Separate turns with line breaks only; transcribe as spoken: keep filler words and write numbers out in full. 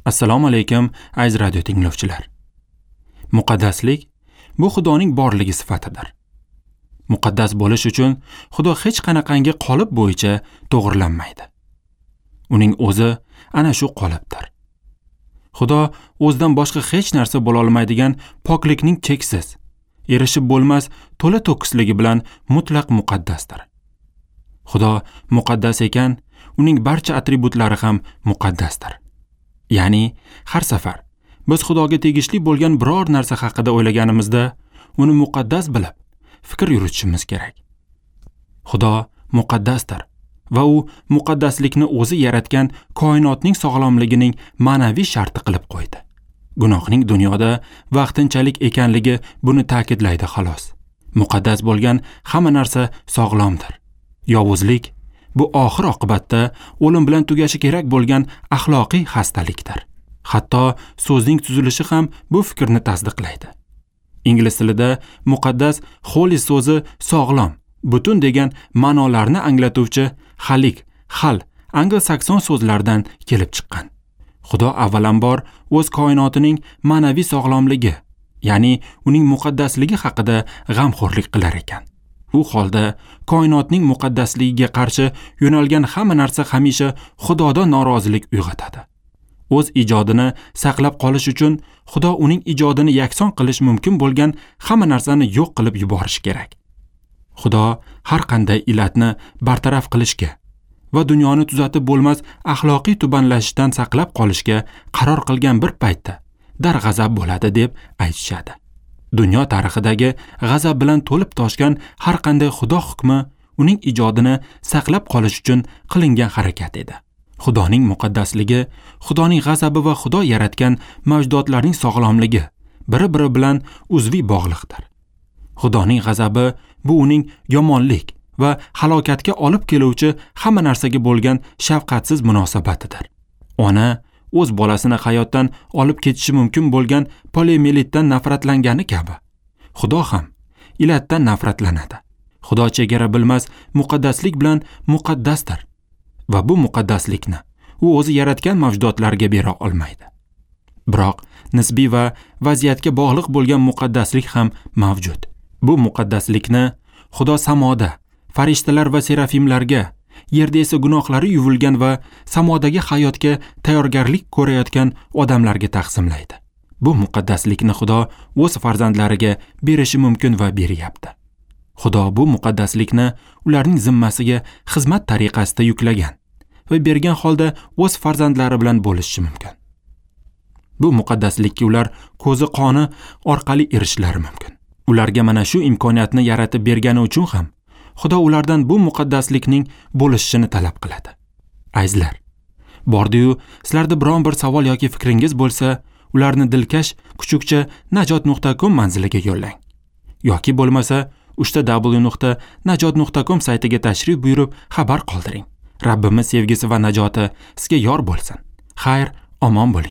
Assalomu alaykum, aziz radio tinglovchilar. Muqaddaslik bu Xudoning borligi sifatidir. Muqaddas bo'lish uchun Xudo hech qanaqangi qolip bo'yicha to'g'rilanmaydi. Uning o'zi ana shu qolipdir. Xudo o'zidan boshqa hech narsa bo'la olmaydigan poklikning cheksiz, erishib bo'lmas to'la to'kisligi bilan mutlaq muqaddasdir. Xudo muqaddas ekan, uning barcha atributlari ham muqaddasdir. Ya'ni har safar biz Xudoga tegishli bo'lgan biror narsa haqida o'ylaganimizda uni muqaddas bilib fikr yuritishimiz kerak. Xudo muqaddasdir va u muqaddaslikni o'zi yaratgan koinotning sog'lomligining ma'naviy sharti qilib qo'ydi. Gunohning dunyoda vaqtinchalik ekanligi buni ta'kidlaydi xolos. Muqaddas bo'lgan hamma narsa sog'lomdir. Yovuzlik bu oxir oqibatda o'lim bilan tugashi kerak bo'lgan axloqiy xastalikdir. Hatto so'zning tuzilishi ham bu fikrni tasdiqlaydi. Ingliz tilida muqaddas holy so'zi sog'lom, butun degan ma'nolarni anglatuvchi halik, hal, anglo-sakson so'zlaridan kelib chiqqan. Xudo avvalambor o'z koinotining ma'naviy sog'lomligi, ya'ni uning muqaddasligi haqida g'amxo'rlik qilar ekan. U holda koinotning muqaddasligiga qarshi yo'nalgan hamma narsa hamisha Xudodan norozilik uyg'otadi. O'z ijodini saqlab qolish uchun Xudo uning ijodini yakson qilish mumkin bo'lgan hamma narsani yo'q qilib yuborishi kerak. Xudo har qanday illatni bartaraf qilishga va dunyoni tuzatib bo'lmas axloqiy tubanlashishdan saqlab qolishga qaror qilgan bir paytda darg'azab bo'ladi deb aytishadi. Dunyo tarixidagi g'azab bilan to'lib toshgan har qanday Xudo hukmi uning ijodini saqlab qolish uchun qilingan harakat edi. Xudoning muqaddasligi, Xudoning g'azabi va Xudo yaratgan mavjudotlarning sog'lomligi bir-biri bilan uzviy bog'liqdir. Xudoning g'azabi bu uning yomonlik va halokatga olib keluvchi hamma narsaga bo'lgan shafqatsiz munosabatidir. Ona o'z bolasini hayotdan olib ketishi mumkin bo'lgan poliomielitdan nafratlangani kabi, Xudo ham illatdan nafratlanadi. Xudo chegara bilmas muqaddaslik bilan muqaddasdir va bu muqaddaslikni u o'zi yaratgan mavjudotlarga bera olmaydi. Biroq nisbiy va vaziyatga bog'liq bo'lgan muqaddaslik ham mavjud. Bu muqaddaslikni Xudo samoda farishtalar va serafimlarga, yerda esa gunohlari yuvilgan va samodagi hayotga tayyorgarlik ko'rayotgan odamlarga taqsimlaydi. Bu muqaddaslikni Xudo o'z farzandlariga berishi mumkin va beryapti. Xudo bu muqaddaslikni ularning zimmasiga xizmat tariqasida yuklagan va bergan holda o'z farzandlari bilan bo'lishishi mumkin. Bu muqaddaslikka ular ko'zi qoni orqali erishishlari mumkin. Ularga mana shu imkoniyatni yaratib bergani uchun ham Xudo ulardan bu muqaddaslikning bo'lishini talab qiladi. Azizlar, bordi-yu sizlarda biron bir savol yoki fikringiz bo'lsa, ularni dilkash kuchukcha najot nuqta com manziliga yo'llang. Yoki bo'lmasa uch ta w nuqta najot nuqta com saytiga tashrif buyurib xabar qoldiring. Rabbimiz sevgisi va najoti sizga yor bo'lsin. Xayr, omon bo'ling.